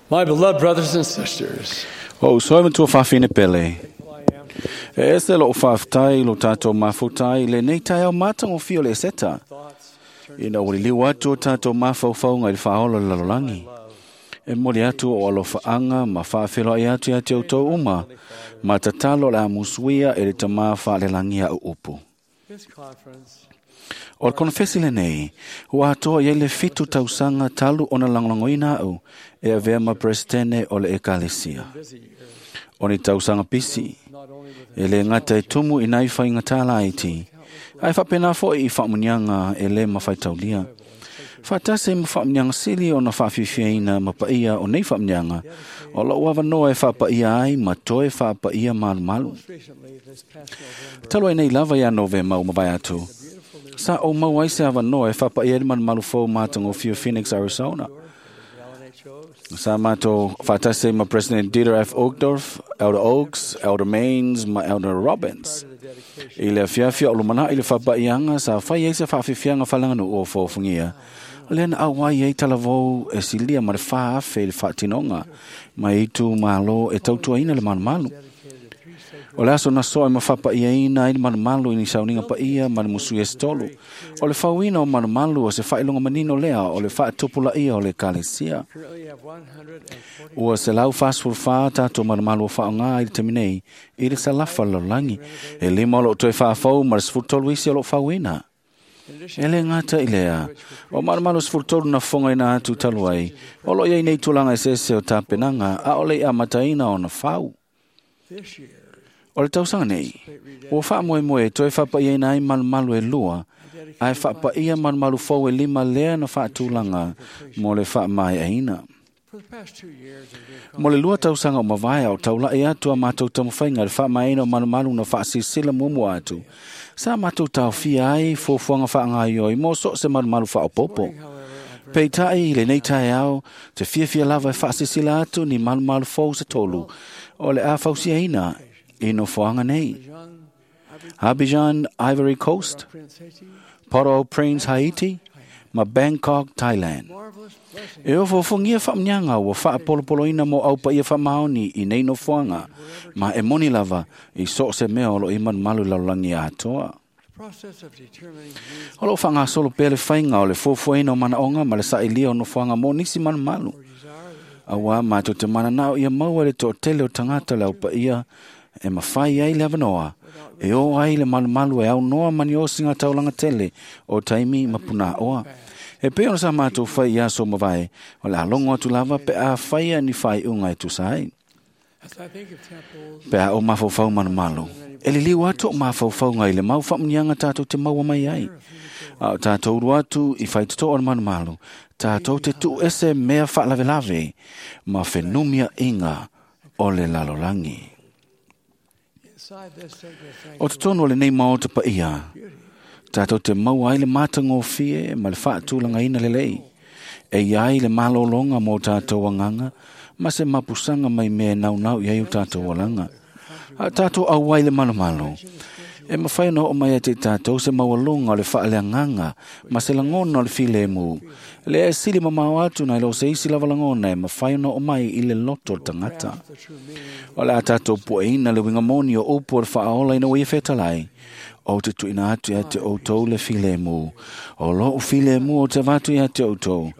My beloved brothers and sisters, O uso e matua whawhine pele. E ese lo whawhtai lo tātou mafutai le nei tai au mātango fio le seta. Ina uri liu atu o tātou mawhauwhaunga i le whaola le lalolangi. E mori atu o alofa anga ma whaawhelo ai atu ia te au tau uma. Ma tatalo le amusuia e le tamā whaalelangi au upu. this conference O le konfesi le nei, ua atoa i ai le 7 tausaga talu ona lagolagoina au e avea ma presidente o le ekalesia. busy years, O ni tausaga pisi, not only with e le gata e tumu i nai whainga tālaiti, ai whapena foi i whaamunianga e le mawhaitaulia. Whaatase ma whaamunianga sili o na whaafifiaina ma paia o nei whaamunianga, o lau awanoa e whaapaia ai ma toe whaapaia malu malu. most recently this past November, Talu ai nei lava ia Novema o mawai atu. Sa o mau ai se awanoa e whaapaia i malu malu fou mātango whio Phoenix, Arizona. the LNHOs, Sa mātou whaatase ma President Dieter F. Uchtdorf, Elder Oaks, Elder Maines, ma Elder Robbins. the dedication I le fiafia o lumana i le whapaianga sa whai ai se whaafifianga whalanga o fōfungia. Le na au ai ei talavou e silia ma le whaafe i le whaatinonga ma i tu malo e tautuaina le malumalu. dedicated to three sacred O le aso na soa e mawhapa ia ina i le malumalu i ni sauninga pa ia ma le musu e stolu. O le whauina o malumalu o se whailonga manino lea o le whaatupula ia o le kalesia. currently have 140 Ua se lau whāsfurwhā tātou malumalu o whaonga i le teminei i le salafa lololangi. E lima o lo toe whaafau ma le sfurtolu isi o lo whauina. In addition, E le ngata i lea. O malumalu sfurtolu na fonga ina atu talu ai. O lo iai nei tūlanga e sese o tāpenanga a ole i a mataina o na whau. this year, O le tausaga nei, ua faamoemoe e toe faapaiaina ai malumalu e lua, ae faapaia malumalu fou e lima lea na faatulaga mo le faamaeaina. for the past 2 years, we've been Mo le 2 tausaga o mavae o taulai atu a mātou taumafaiga i le faamaeaina o malumalu na faasilasila muamua atu. Sa mātou taofia ai fuafuaga faagaioi mo so o se malumalu faaopoopo. however, I'm Peitai i lenei taeao, te fiafia lava e faasilasila atu ni malumalu fou se tolu, o le a fausiaina i nofoaga nei. young Abidjan, Ivory Coast, Prince Haiti, Port-au-Prince, Haiti, ma Bangkok, Thailand. marvelous blessing E ofofongia whaamnianga ua whaapolopoloina mo au paia whamaoni i nei nofoanga, ma e moni lava i so se mea o lo i malumalu lalolagi atoa. The process of determining needs O lo whangasolo pea le whainga o le fuafuaina o manaonga ma le sailia o nofoanga mo nisi malumalu. or desire Aua mātou te mananao ia maua le toatele o tangata le au paia e mawhai ai le awanoa. E o ai le malumalu e au noa mani o singa taulanga tele o taimi mapuna oa. E pe ona sa mātou whai i aso mawai, o le alongo atu lava pe a whaia ni whai unga e tusa ai. As I think of temples, Pe a o mawhauwhau malumalu. E liliu atu o mawhauwhaunga i le mau whamunianga tātou te maua mai ai. A o tātou uru atu i whaitoto o le malumalu. Tātou te tu ese mea whalavelave ma whenumia inga o le lalolangi. inside this sacred O sanctuary, te tonu o le nei maota pa ia, beauty, tātou te maua ai le mātangofie ma le whaatulanga ina le lei. E iai le malolonga mō tātou anganga, ma se mapusanga mai mea nau nau i ai o tātou alanga. A tātou au ai le malumalu. E mawhai na o mai e te tātou se maualonga o le whaaleanganga, ma se langona o le filemu. Le e sili mamao atu na ilo se isi lava langona e mawhai na o mai i le loto o le tangata. the true meaning O le a tātou pueina le winga moni o upu o le whaola ina ua ia whetalai. O te tuina atu ia te outou le filemu. O lo o filemu o te vatu ia te outou.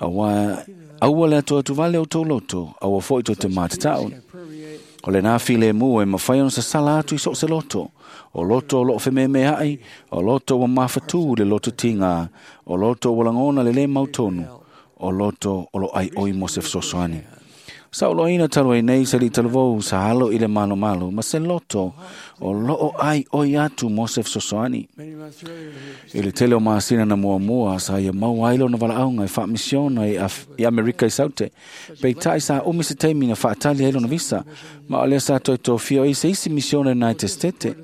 Aua, aua le atu atu vale o tō loto, aua foi tō te mātatau. can permeate O le nā filemu e mawhai ona sa sala atu i so se loto. O loto o loo whememe ai, o loto o mawhatu le loto tinga, o loto o langona le le mautonu, o loto o lo ai oi mo se fesoasoani. Sa o loina talu ai nei se li talavou sa alo i le malo malo, ma se loto o loo ai oi atu mo se fesoasoani. many months earlier. He I le tele o masina na muamua sa ia mau ai lona valaauga e faamisiona i, i Amerika i Saute. Peitai sa umi se taimi na faatali ai lona visa, ma o lea sa toe tofia ai se isi misiona i United States.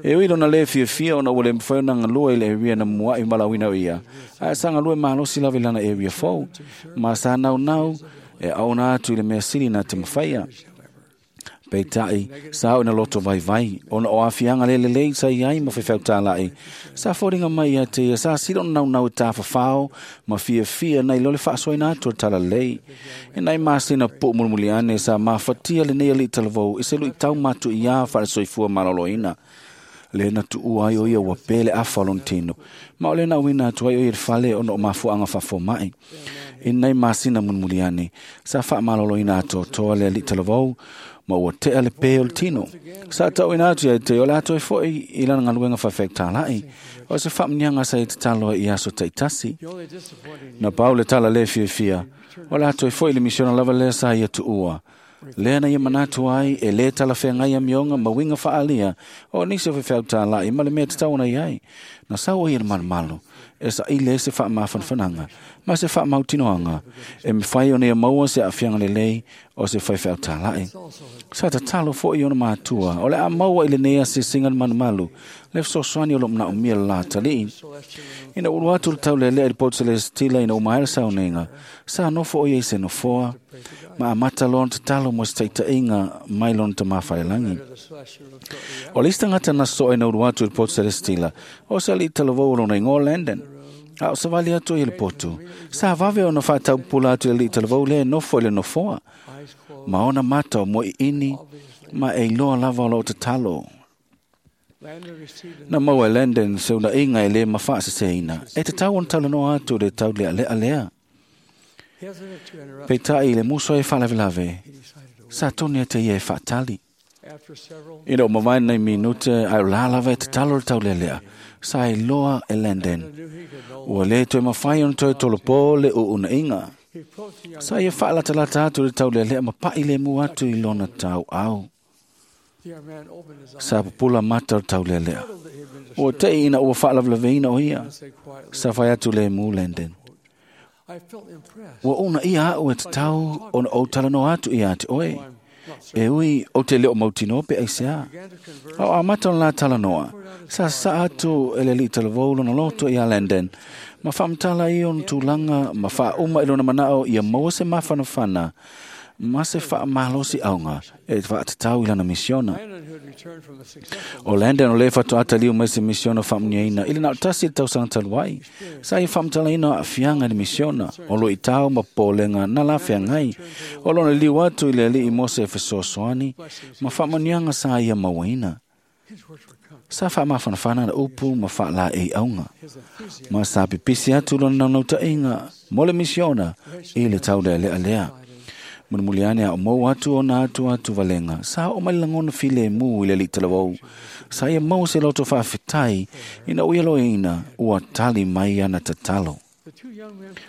E ui lona le fiafia ona ua le mafai ona galue i le area na mua'i malauina o ia. Ae sa galue malosi lava i lana area fou, ma sa naunau e aona atu i le mea sili na te mafaia. Peitai, sa o ina loto vaivai, ona o aafiaga le lelei sa i ai ma faifeau tālaʻi. Sa foliga mai ia te ia sa sili ona naunau e tafafao ma fiafia nai lo le faasoaina atu o le talalelei. E nai masina puʻu mulimuli ane sa mafatia lenei aliʻi talavou i se luʻitau matuiā faale-soifua malōlōina. Le na tuua ai o ia ua pē le afa o lona tino. Ma o le na uina atu ai o ia le fale ona o mafuaʻaga faafomaʻi. I nei masina mulimuli ane, sa faamalōlōina atoatoa le aliʻi talavou, ma ua teʻa le pē o le tino. Sa taʻuina atu ia te o le ato e foʻi i lana galuega faifeau tālaʻi. O se faamuniaga sa ia tatalo ai i aso taʻitasi. Na pau le tala lē fiafia, o le ato e foʻi le misiona lava lea sa ia tuua. Lea na ia manatu ai e lē talafeagai amioga ma uiga faaalia o nisi o faifeau tālaʻi ma le mea tatau ona iai. Na sau ai e le malumalu, e saʻili ai se faamafanafanaga ma se faamautinoaga e mafai ona ia maua se aafiaga lelei o se faifeau tālaʻi. Sa tatalo foʻi ona matua, o le a maua i lenei asiasiga le malumalu, le fesoasoani o loo manaʻomia le lā talii. Ina ulu atu le taulelea i le poto selesitila ina uma ai le sauniga, sa nofo o ia i se nofoa, ma amata loa ona tatalo mo se taʻitaʻiga mai lona tamā falelagi. O le isi tagata na soʻe na ulu atu i le poto selesitila, o se aliʻi talavou o lona igoa Landon. A o savali atu ia le potu, sa vave ona faataupupula atu i le aliʻi talavou lea e nofo i le nofoa, ma ona mata o moeʻiʻini ma e iloa lava o loo tatalo. Na maua e Landon se unaʻiga e lē mafaasesēina, e tatau ona talanoa atu le tauleʻaleʻa lea. Peitai i le muso e faalavelave, sa toni ate ia e faatali. Ina o mavae nei minute ae o la lava e tatalo le taulealea, sa e loa e Landon. Ua lē toe mafai ona toe tolopō le uunaʻiga. Sa ia faalatalata atu le taulealea ma paʻi lemu atu i lona tauau. Sa pupula mata o le taulealea. Ua teʻi ina ua faalavelaveina o ia. Sa fai atu lemu Landon. Ua una ia au e tatau ona ou talanoa atu ia te oe. E ui o te leo mautino pe aisea. A o amata o la talanoa. Sa sa atu e le li talavou lona loto ia Landon. Ma whamtala i ona tūlanga, ma whauma i lona manao ia maua se mafanafana, ma se whaamalosi aunga e whaatatau i lana misiona. O Landon o le whatoata liu mai se misiona whaamuniaina, i le nao tasi le tausaga talu ai. Sa ia whamtalaina a fianga le misiona, o lo i tau ma pōlenga na la feagai. O lona liu atu i le alii mo se fesoasoani, ma whaamunianga sa ia mauaina. Sa faamafanafana na upu ma faalaei auga. Ma sa pipisi atu lona naunautaiga mo le misiona i le taulealea lea. Mulimuli ane a o mou atu ona atu atu valega, sa oo mai le lagona filemu i le aliʻi talavou. Sa ia maua se loto faafetai ina ua ia loeina ua tali mai ana tatalo.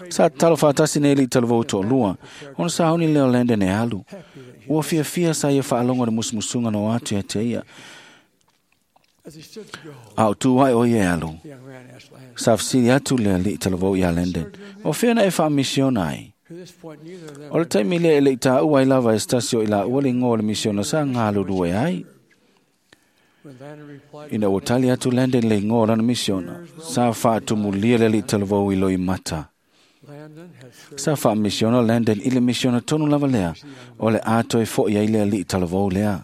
Sa tatalo faatasi nei aliʻi talavou toalua, ona sauni lea o Landon e alu. Ua fiafia sa ia faalogo le musumusuga na o atu ia te ia. A o tu ai o ia e alu. Sa fesili atu le aliʻi talavou iā Landon, o fea na e faamisiona ai? O le taimi lea e leʻi tāua ai lava e se tasi o i laua le igoa o le misiona sa galulue ai. Ina ua tali atu Landon le igoa o lana misiona, sa faatumulia le aliʻi talavou i loimata. Sa faamisiona Landon i le misiona tonu lava lea, o le a toe foʻi ai le aliʻi talavou lea.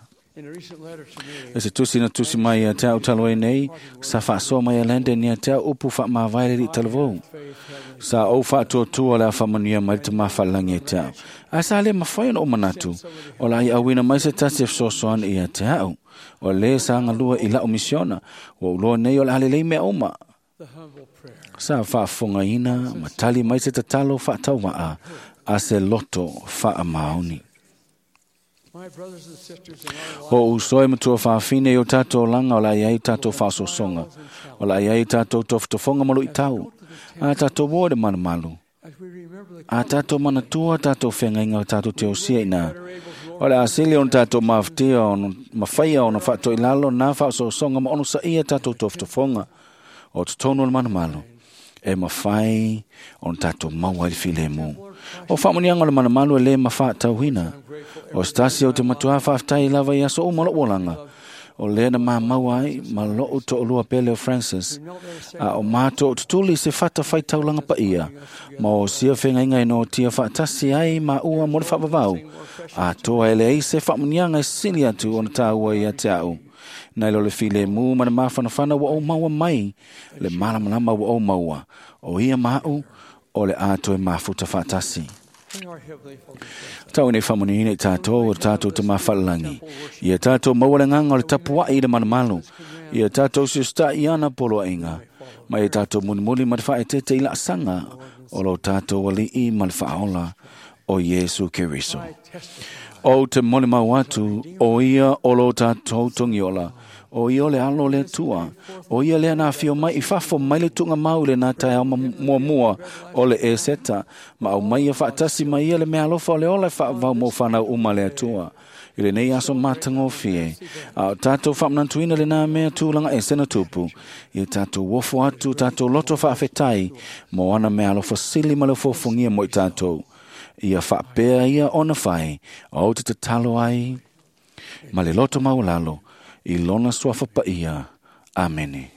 E se tusi na tusi mai ia te au talo e nei, sa faasoa mai a Landon ia te au upu faamavae le aliʻi talavou. Sa ou faatuatua le afamanuia mai le tamā faalelagi e te au. Ae sa lē mafai ona ou manatu, o la i auina mai se tasi e fesoasoani ia te au. O lē sa galua i la'u misiona, ua uloa nei o le a lelei mea uma. Sa faafofogaina ma tali mai se tatalo faatauva'a a se loto faamaoni. O uso e matua faafine i o tātou langa o la iai tātou faasosoga, o la iai tātou tofotofoga ma luʻitau, a tātou ua le malumalu, a tātou manatua tātou feagaiga o tātou teosia ina. O le asili ona tātou mafatia ona mafaia ona faatoilalo na faasosoga ma ono saia tātou tofotofoga o totonu o le malumalu. E mafai ona tātou maua i le filemu. O faamuniaga o le malumalu e lē mafaatauina. O se tasi o te matuā faafetai lava i aso uma loʻu olaga. O lea na mamaua ai ma lou toʻalua pele o Francis, a o matou tutuli se fata faitaulaga paia, ma o sia feagaiga e noatia faatasi ai maua mo le faavavau, atoa e leai se faamuniaga e sili atu ona tāua ia te a'u. Nai lo le filemu ma le mafanafana ua ou maua mai le malamalama ua ou maua, o ia ma a'u o le a toe mafuta faatasi. May our Heavenly Father bless Tau nei faamuniina i tātou o tātou te mawhalalagi. Ia tātou maua le nganga o le tapuai i le malumalu. Ia tātou siusta i ana poloaiga. Ma ia tātou mulimuli ma le faaeteete i laasaga o lo tātou alii ma le faaola o Iesu Keriso. I testify O te molimau atu, o ia o lo tātou togiola, o ia o le alo o le Atua, o ia lea na afio mai i fafo mai le tuugamau i lenā taeao muamua o le Eseta, ma aumai ia faatasi ma ia le meaalofa o le ola e faavavau mo fanau uma a le Atua. I lenei aso matagofie, a o tātou faamanatuina lenā mea tulaga ese na tupu, ia tātou ofo atu tātou loto faafetai mo ana meaalofa sili ma le ofofogia mo i tātou. Ia faapea ia ona fai, o te tatalo ai, ma le loto maualalo, i lona suafa paia. Amene.